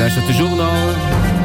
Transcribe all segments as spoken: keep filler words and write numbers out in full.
Dir lauschtert de Journal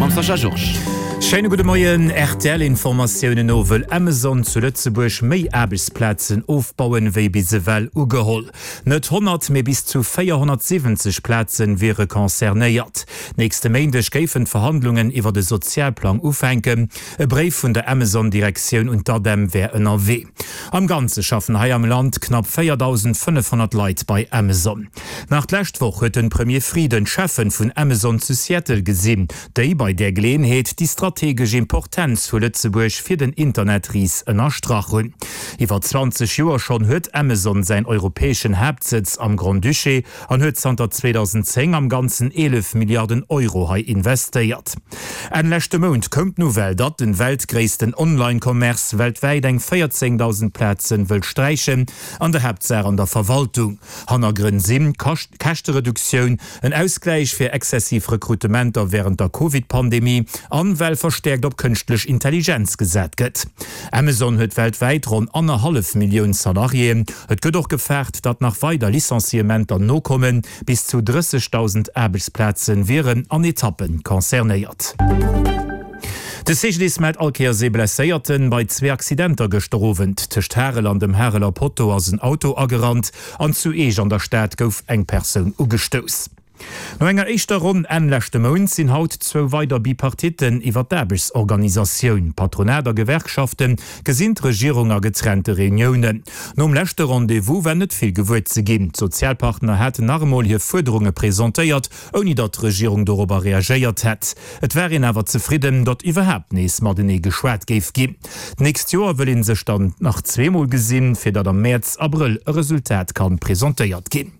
mam Sascha Georges. Schéine gudde Moien. R T L-Informatiounen no wëll Amazon zu Lëtzebuerg méi Aarbechtsplazen ofbauen, wéi bis ewell ugeholl. Net honnert, mee bis zu véierhonnertsiwwenzeg Plazen wiere concernéiert. Nächste Méindeg géifen d'Verhandlungen iwwer de Sozialplang ufänken. E Bréif vun der Amazon-Direktioun un d'ADEM wär ënnerwee. Am Ganze schaffen hei am Land knapp véierdausendfënnefhonnert Leit bei Amazon. Nach d'lescht Woch huet de Premier Frieden d'Cheffen vun Amazon zu Seattle gesinn, déi bei där Geleeënheet déi strategesch Importenz vu Lëtzebuerg fir den Internetris ënnerstrach hunn. Iwwer zwanzeg Joer schonn huet Amazon säin europäeschen Haaptsëtz am Grand-Duché an huet zanter zweedausendzéng am Ganzen eelef Milliarden Euro hei investéiert. Enn leschte Mount koum d'Nouvelle, datt den weltgréissten Online-Commerce weltwäit eng véierzéngdausend Plazen wëllt sträichen, an der Haaptsaach an der Verwaltung. Hannergrënn sinn, Käschtereduktioun, en Ausgläich fir exzessiv Rekrutementer wärend der Covid-Pandemie an well verstäerkt op kënschtlech Intelligenz gesat gëtt. Amazon huet weltwäit ronn annerhallef Millioun Salariéen. Et gëtt och gefaart, datt nach weider Licenciementer nokommen, bis zu drëssegdausend Aarbechtsplaze wieren an Etappe concernéiert. De C G D I S mellt all Kéiers ee Blesséierten bei zwee Accidenter gëschter Owend. Tëscht Harel an dem Hareler Potto ass en Auto agerannt an zu Eech an der Stad gouf eng Persoun ugestouss. No enger éischter Ronn Enn leschte Mount sinn haut zwou weider Bipartitten iwwer d'Aarbechtsorganisatioun. Patronat a Gewerkschafte gesinn d'Regierung a getrennte Reuniounen. Nom leschte Rendez-vous war net vill gewuer ze ginn. D'Sozialpartner haten nach emol hir Fuerderunge presentéiert, ouni datt d'Regierung dorobber reagéiert hätt. Et war een awer zefridden, datt iwwerhaapt nees matenee geschwat géif ginn. D'nächst Joer wëll ee sech dann nach zweemol gesinn, fir datt am Mäerz, Abrëll e Resultat kann presentéiert ginn.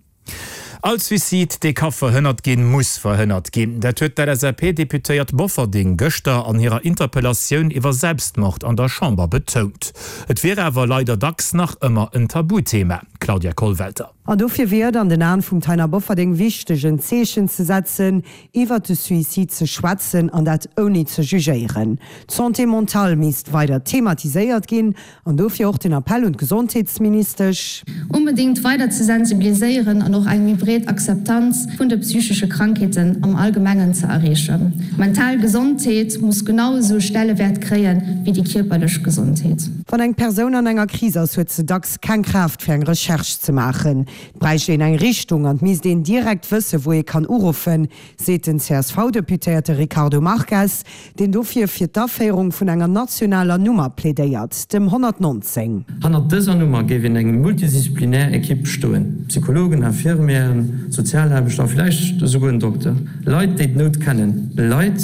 All Suicide, dee ka verhënnert ginn, muss verhënnert ginn. Dat huet d'L S A P-Deputéiert Bofferding gëschter an hirer Interpellatioun iwwer Selbstmord an der Chamber betount. Et wier awer leider dacks nach ëmmer en Tabuthema. Claudia Kollwelter. An dofir wier et an den Aen vum Taina Bofferding wichteg, en Zeechen ze setzen, iwwer de Suicide ze schwätzen an dat ouni ze jugéieren. D'Santé mentale misst weider thematiséiert ginn an dofir och den Appell un d'Gesondheetsministesch. Onbedéngt weider ze sensibiliséieren an och eng méi breet Akzeptanz vun de psychesche Krankheeten am Allgemengen ze erreechen. Mental Gesondheet muss genau esou Stellewäert kréien wéi déi kierperlech Gesondheet. Wann eng Persoun an enger Kris ass, huet se dacks keng Kraaft fir eng Recherche ze maachen. Et bräicht een eng Richtung an et misst een direkt wëssen, wou ee kann uruffen, seet den C S V-Deputéierte Ricardo Marques, deen dofir fir d'Aféierung vun enger nationaler Nummer plädéiert, dem honnertnonzéng. Hannert dëser Nummer géif een eng multidisziplinär Ekipp stoen, Psychologen, Infirmièren, Sozialaarbechter a vläicht esouguer en Dokter. Leit, déi d'Nout kennen. Leit,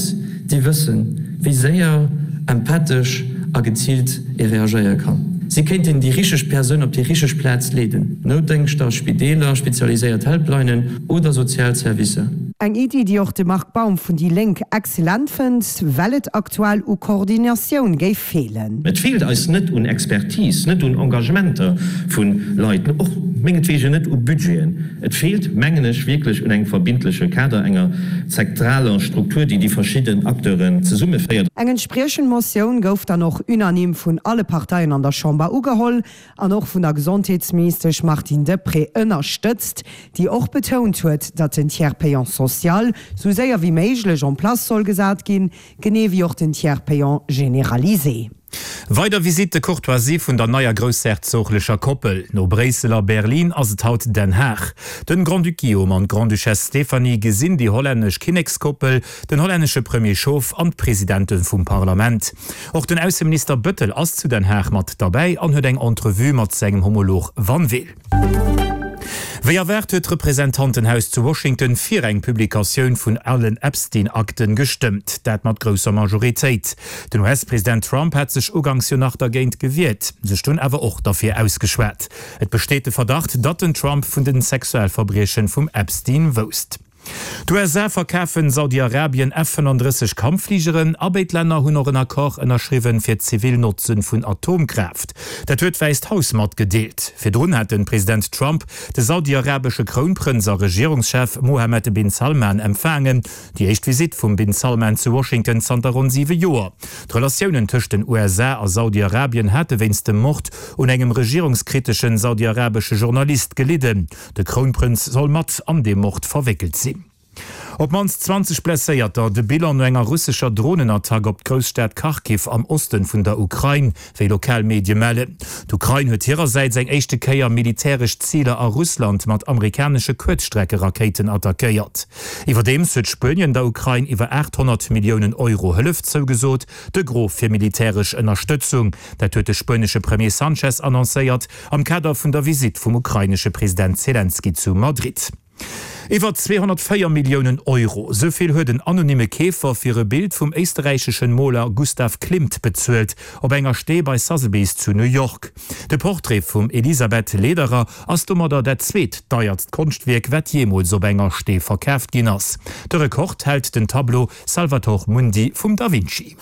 déi wëssen, wéi séier, empathesch a geziilt ee reagéiere kann. Si kéinten déi richteg Persoun op déi richteg Plaz leeden, Noutdéngschter, Spideeler, spezialiséiert Helplinen oder sozial Servicer. Eng Iddi, déi och de Marc Baum vun déi Lénk excellent fënnt, well et aktuell u Koordinatioun géif feelen. Et feelt eis net un Expertise, net un Engagementer vu Leit, och mengetwegen net u Budgeten. Et feelt, mengen ech, wierklech un engem verbindleche Kader, enger zentraler Struktur, déi déi verschidden Acteuren zesummeféiert. Eng entspriechend Motioun gouf dann och unanime vun alle Parteien an der Chamber ugeholl an och vun der Gesondheetsministesch Martine Deprez ënnerstëtzt, déi och betount huet, datt den Tiers payant social sou séier wéi méiglech en place soll gesat ginn, genee wéi och den Tiers payant généralisé. Weider Visite de courtoisie vun der neier groussherzoglecher Koppel. No Bréissel a Berlin ass et haut Den Haag. Den Grand-Duc Guillaume an d'Grande-Duchesse Stéphanie gesinn déi hollännesch Kinnekskoppel, den hollännesche Premier Schoof an d'Presidente vum Parlament. Och den Ausseminister Bettel ass zu Den Haag mat derbäi an huet eng Entrevue mat sengem Homolog Van Weel. Wéi erwaart huet d'Representantenhaus zu Washington fir eng Publikatioun vun allen Epstein-Akten gestëmmt, dat mat grousser Majoritéit. Den U S-President Trump hat sech uganks jo nach dergéint gewiert, sech dunn awer och derfir ausgeschwat. Et besteet de Verdacht, datt den Trump vun den Sexualverbriechen vum Epstein wousst. D'U S A verkafen Saudi-Arabien F fënnenddrësseg Kampffligeren a béid Länner hunn och en Accord ënnerschriwwen fir zivil Notze vun Atomkraaft. Dat huet d'Wäisst Haus matgedeelt. Virdrun hat de President Trump de saudi-arabesche Krounprënz a Regierungschef Mohammed bin Salman empfaangen. Déi éischt Visitt vum bin Salman zu Washington zanter ronn siwe Joer. D'Relatiounen tëscht den U S A a Saudi-Arabien hate wéinst dem Mord un engem regierungskriteschen saudi-arabesche Journalist gelidden. De Krounprënz soll mat an deem Mord verwéckelt sinn. Op d'mannst zwanzeg Blesséierter, de Bilan no enger russescher Dronenattack op d'Grousstad Kharkiv am Osten vun der Ukrain, wéi lokal Medie mellen. D'Ukrain huet hirersäits eng éischte Kéier militäresch Ziler a Russland mat amerikanesche Kuerzstreckerakéiten attackéiert. Iwwerdeems huet Spuenien der Ukrain iwwer aacht honnert Milliounen Euro Hëllef zougesot, de Gros fir militäresch Ënnerstëtzung. Dat huet de spuenesche Premier Sanchez annoncéiert am Kader vun der Visitt vum ukrainesche President Selenskyj zu Madrid. Iwwer zweehonnertvéier Milliounen Euro, sou vill huet en anonymme Keefer fir e Bild vum éisterräicheschen Moler Gustav Klimt bezuelt, op enger Stee bei Sotheby's zu New York. De Portrait vum Elisabeth Lederer ass domadder dat zweet deiertst Konschtwierk, wat jeemools op enger Stee verkaaft ginn ass. De Rekord hält den Tableau Salvator Mundi vum Da Vinci.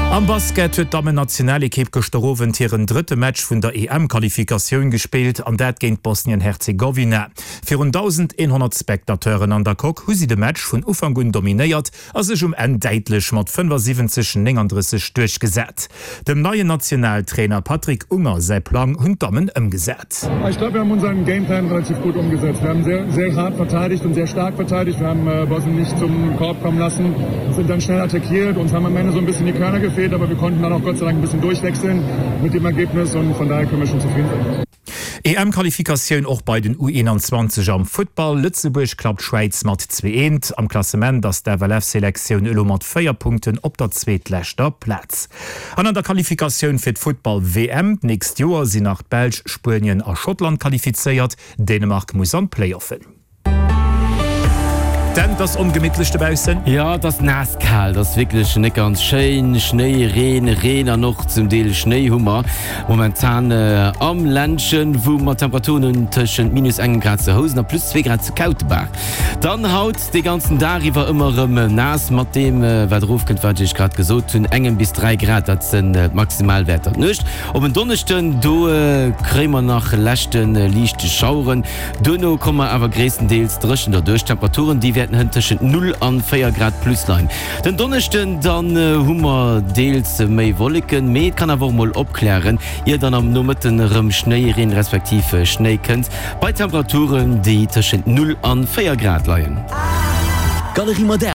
Am Basket huet d'Dammen-Nationalekipp gëschter Owend hiren drëtte Match vun der E M-Qualifikatioun gespillt, an dat géint Bosnien-Herzegowina. Virun dausendeenhonnert Spectateuren an der Coque hu si de Match vun Ufank un dominéiert a sech um Enn däitlech mat fënnefasiwwenzeg, nénganddrësseg duerchgesat. Dem neien Nationaltrainer Patrick Unger säi Plang hunn d'Dammen ëmgesat. Ich glaube, wir haben unseren Gameplan relativ gut umgesetzt. Wir haben sehr, sehr hart verteidigt und sehr stark verteidigt. Wir haben äh, Bosnien nicht zum Korb kommen lassen, sind dann schnell attackiert. Uns haben am Ende so ein bisschen die Körner gefehlt, aber wir konnten dann auch Gott sei Dank ein bisschen durchwechseln mit dem Ergebnis und von daher können wir schon zufrieden sein. E M-Qualifikatioun och bei den U eenanzwanzeg am Futtball, Lëtzebuerg klappt d'Schwäiz mat zwee eent. Am Klassement ass d'F L F-Selektioun elo mat véier Punkten op der zweetleschter Plaz. An an der Qualifikatioun fir d'Futtball-W M d'nächst Joer sinn nach d'Belsch, Spuenien a Schottland qualifizéiert, Dänemark muss an d'Playoffen. Dan, et ass ongemittlech dobaussen. Jo, et ass naass kal, et ass wierklech net ganz schéin. Schnéi, Reen, Reen an och zum Deel Schnéi hu mer momentan am Ländchen, wou mer Temperaturen hunn tëschent minus engem Grad zu Housen a plus zwee Grad zu Kautebaach. Dann haut de ganzen Dag iwwer ëmmer erëm naass, mat deem wat erofkënnt, wat ech iech grad gesot hunn, engem bis dräi Grad, dat sinn d'Maximalwäerter. D'Nuecht op en Donneschden, do kréie mer nach leschte liicht Schaueren, duerno komme mer awer gréisstendeels dréchen derduerch. D'Temperaturen, déi wäerten hënt tëschent null an véier Grad plus leien. Den Donneschden dann hu mer deels méi Wolleken, mee et kann awer och mol opklären, ier dann am Nomëtten erëm Schnéireen respektiv Schnéi kënnt, bei Temperaturen, déi tëschent null an véier Grad leien. Galerie Moderne.